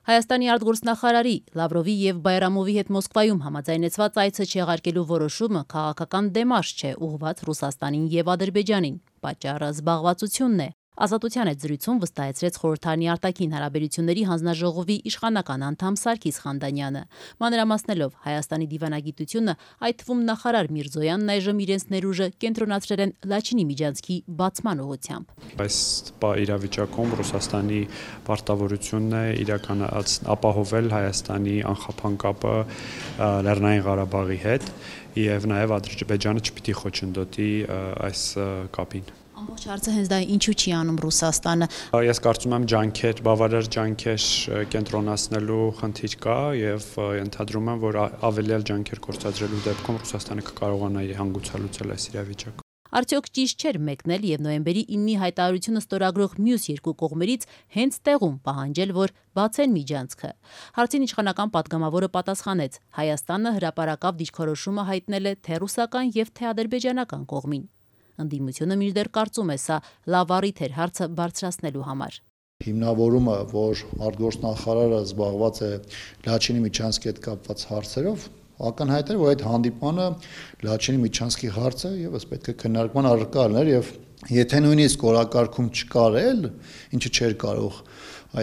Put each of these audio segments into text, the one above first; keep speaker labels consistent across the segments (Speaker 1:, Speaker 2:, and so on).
Speaker 1: Հայաստանի արտգործնախարարի Լավրովի եւ Բայրամովի հետ Մոսկվայում համաձայնեցված այցը չեղարկելու որոշումը քաղաքական դեմարշ չէ ուղղված Ռուսաստանին եւ Ադրբեջանին։ Պատճառը զբաղվածությունն է։ Ազատության հետ զրույցում վստահեցրեց խորհրդարանի արտաքին հարաբերությունների հանձնաժողովի իշխանական անդամ Սարգիս Խանդանյանը, մանրամասնելով Հայաստանի դիվանագիտությունը, այդ թվում նախարար Միրզոյանն այժմ իրենց ներուժը կենտրոնացրել են Լաչինի միջանցքի բացման ուղղությամբ։
Speaker 2: Այս իրավիճակում Ռուսաստանի պարտավորությունն է ապահովել Հայաստանի անխափան կապը Լեռնային Ղարաբաղի հետ եւ նաեւ Ադրբեջանը չպիտի խոչընդոտի այս կապին։
Speaker 1: Ամբողջ հարցը հենց դա ինչու չի անում Ռուսաստանը։
Speaker 2: Ես կարծում եմ բավարար ջանքեր կենտրոնացնելու խնդիր կա եւ ենթադրում եմ, որ ավելի ջանքեր գործադրելու դեպքում Ռուսաստանը կկարողանա հանգուցալուծել այս իրավիճակը։
Speaker 1: Արդյոք ճիշտ չէր մեկնել եւ նոյեմբերի 9-ի հայտարարությունը ստորագրող մյուս երկու կողմերից հենց տեղում պահանջել, որ բացեն միջանցքը։ Հարցին իշխանական պատգամավորը պատասխանեց. Հայաստանը հրապարակավ դիրքորոշումը հայտնել է թե ռուսական եւ թե ադրբեջանական կողմին։ Ընդդիմությունը մինչդեռ կարծում է սա լավ առիթ էր հարցը բարձրացնելու համար։
Speaker 3: Հիմնավորումը, որ արտգործնախարարը զբաղված է Լաչինի միջանցքի հետ կապված հարցերով, ակնհայտ էր, որ այդ հանդիպանը Լաչինի միջանցքի հարցը եւս պետք է քննարկման առարկա լիներ եւ եթե նույնիսկ օրակարգում չկար էլ, ինչը չէր կարող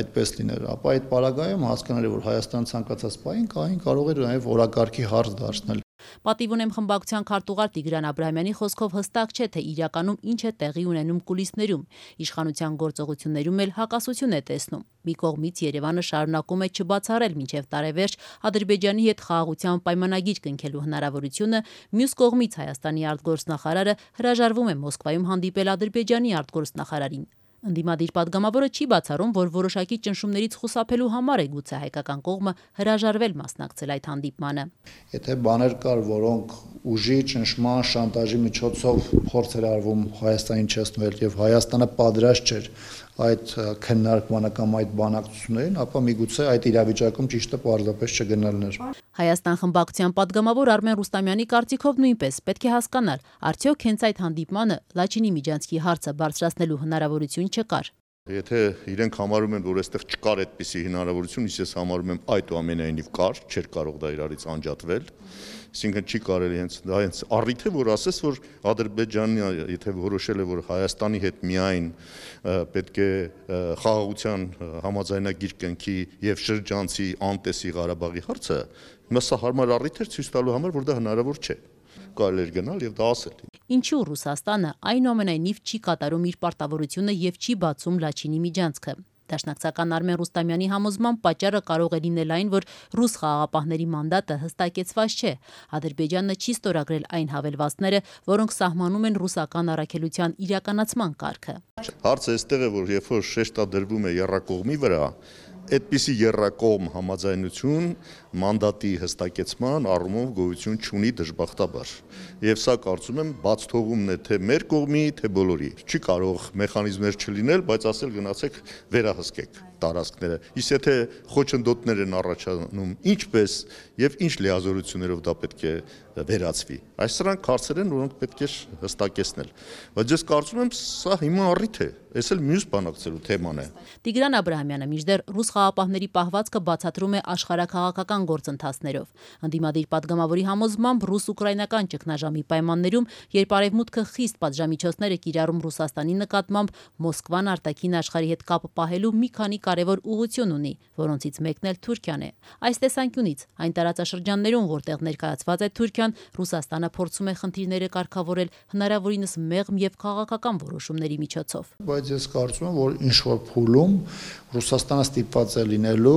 Speaker 3: այդպես լիներ, ապա այդ պարագայում հասկանալի որ Հայաստան ցանկացած պահին կարող էր նաեւ օրակարգի հարց դարձնել։
Speaker 1: Պատիվ ունեմ խմբակցության քարտուղար Տիգրան Աբրահամյանի խոսքով հստակ չէ, թե իրականում ինչ է տեղի ունենում կուլիսներում, իշխանության գործողություններում էլ հակասություն է տեսնում։ Մի կողմից Երևանը շարունակում է չբացառել մինչև տարեվերջ Ադրբեջանի հետ խաղաղության պայմանագիր կնքելու հնարավորությունը, մյուս կողմից Հայաստանի արտգործնախարարը հրաժարվում է Մոսկվայում հանդիպել Ադրբեջանի արտգործնախարարին։ Ընդդիմադիր պատգամավորը չի բացառում, որ որոշակի ճնշումներից խուսափելու համար է գուցե հայկական կողմը հրաժարվել մասնակցել այդ հանդիպմանը։
Speaker 3: Եթե բաներ կար, որոնք ուժի, ճնշման, շանտաժի միջոցով փորձ էր արվում Հայաստանին չեսնել եւ Հայաստանը պատրաստ չէր այդ քննարկմանը կամ այդ բանակցություններին, ապա միգուցե այդ իրավիճակում ճիշտը պարզապես չգնալն էր։
Speaker 1: Հայաստան խմբակցության պատգամավոր Արմեն Ռուստամյանի կարծիքով նույնպես պետք է հասկանալ, արդյոք հենց այդ հանդիպմանը Լաչինի միջանցքի հարցը բարձրացնելու հնարավորություն չկար։
Speaker 4: Եթե իրենք համարում են, որ այստեղ չկար այդպիսի հնարավորություն, ես համարում եմ այդուամենայնիվ կար, չէր կարող դա իրարից անջատվել, այսինքն չի կարելի հենց առիթ է, որ ասես, որ Ադրբեջանը, եթե որոշել է, որ Հայաստանի հետ միայն պետք է խաղաղության համաձայնագիր կնքի եւ շրջանցի անտեսի Ղարաբաղի հարցը, սա հարմար առիթ էր ցույց տալու համար, որ դա հնարավոր չէ։ Կարելի էր գնալ եւ դա ասել։
Speaker 1: Ինչու Ռուսաստանը այնուամենայնիվ չի կատարում իր պարտավորությունը եւ չի բացում Լաչինի միջանցքը։ Դաշնակցական Արմեն Ռուստամյանի համոզմամբ պատճառը կարող է լինել այն, որ ռուս խաղաղապահների մանդատը հստակեցված չէ։ Ադրբեջանը չի ստորագրել այն հավելվածները, որոնք սահմանում են ռուսական առաքելության իրականացման կարգը։
Speaker 4: Հարցը այստեղ է, որ երբ որ շեշտը դրվում է եռակողմի վրա, այդպիսի եռակողմ համաձայնություն մանդատի հստակեցման առումով գոյություն չունի դժբախտաբար։ Եվ սա կարծում եմ բաց թողումն է թե մեր կողմի, թե բոլորի։ Չի կարող մեխանիզմներ չլինել, բայց ասել գնացեք վերահսկեք տարածքները։ Իսկ եթե խոչընդոտներ են առաջանում, ինչպես եւ ինչ լիազորություններով դա պետք է վերացվի։ Այս սրանք հարցեր են, որոնք պետք է հստակեցնել։ Բայց ես կարծում եմ սա հիմա առիթ է, այս էլ մյուս բանակցելու թեման է։
Speaker 1: Տիգրան Աբրահամյանը մինչդեռ ռուս խաղաղապահների պահվածքը բացատրում է աշխարհաքաղաքական գործընթացներով։ Ընդդիմադիր պատգամավորի համոզմամբ ռուս-ուկրաինական ճգնաժամի պայմաններում, երբ Արևմուտքը խիստ պատժամիջոցներ է կիրառում Ռուսաստանի նկատմամբ, Մոսկվան արտաքին աշխարհի հետ կապ պահելու մի քանի կարևոր ուղղություն ունի, որոնցից մեկն էլ Թուրքիան է։ Այս տեսանկյունից այն տարածաշրջաններում, որտեղ ներկայացված է Թուրքիան, Ռուսաստանը փորձում է խնդիրները կարգավորել հնարավորինս մեղմ եւ քաղաքական որոշումների միջոցով։
Speaker 3: Բայց ես կարծում եմ, որ ինչ որ փուլում Ռուսաստանը ստիպված է լինելու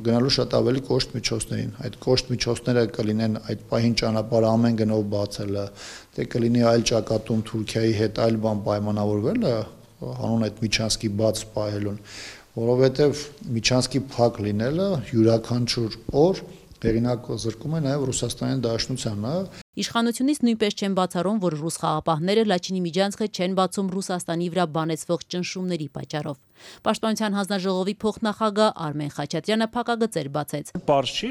Speaker 3: գնալու շատ ավելի կոշտ միջոցներին։ Այդ կոշտ միջոցները կլինեն այդ պահին ճանապարհը ամեն գնով բացելը, թե կլինի այլ ճակատում Թուրքիայի հետ այլ բան պայմանավորվելը, հանուն այդ միջանցքի բաց պահելուն, որովհետև միջանցքի փակ լինելը յուրաքանչյուր օր հեղինակ զրկում է նաև Ռուսաստանի Դաշնությանը
Speaker 1: Իշխանությունից նույնպես չեն բացառում, որ ռուս խաղապահները Լաչինի միջանցքը չեն բացում Ռուսաստանի վրա բանեցվող ճնշումների պատճառով։ Պաշտպանության հանձնաժողովի փոխնախագահ Արմեն Խաչատրյանը փակագծեր բացեց։
Speaker 5: Պարզ չի,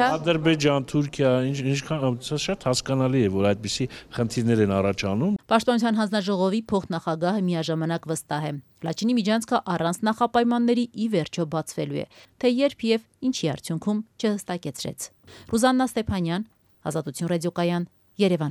Speaker 5: Ադրբեջան, Թուրքիա, ինչքան շատ հասկանալի է, որ այդպիսի խնդիրներ են առաջանում։
Speaker 1: Պաշտպանության հանձնաժողովի փոխնախագահը միաժամանակ վստահ է։ Լաչինի միջանցքը առանց նախապայմանների ի վերջո բացվելու է, թե երբ եւ ինչի արդյունքում չհստակեցրեց։ Ռուզաննա Ստեփանյան, Ազատություն ռադիոկայան, Երևան։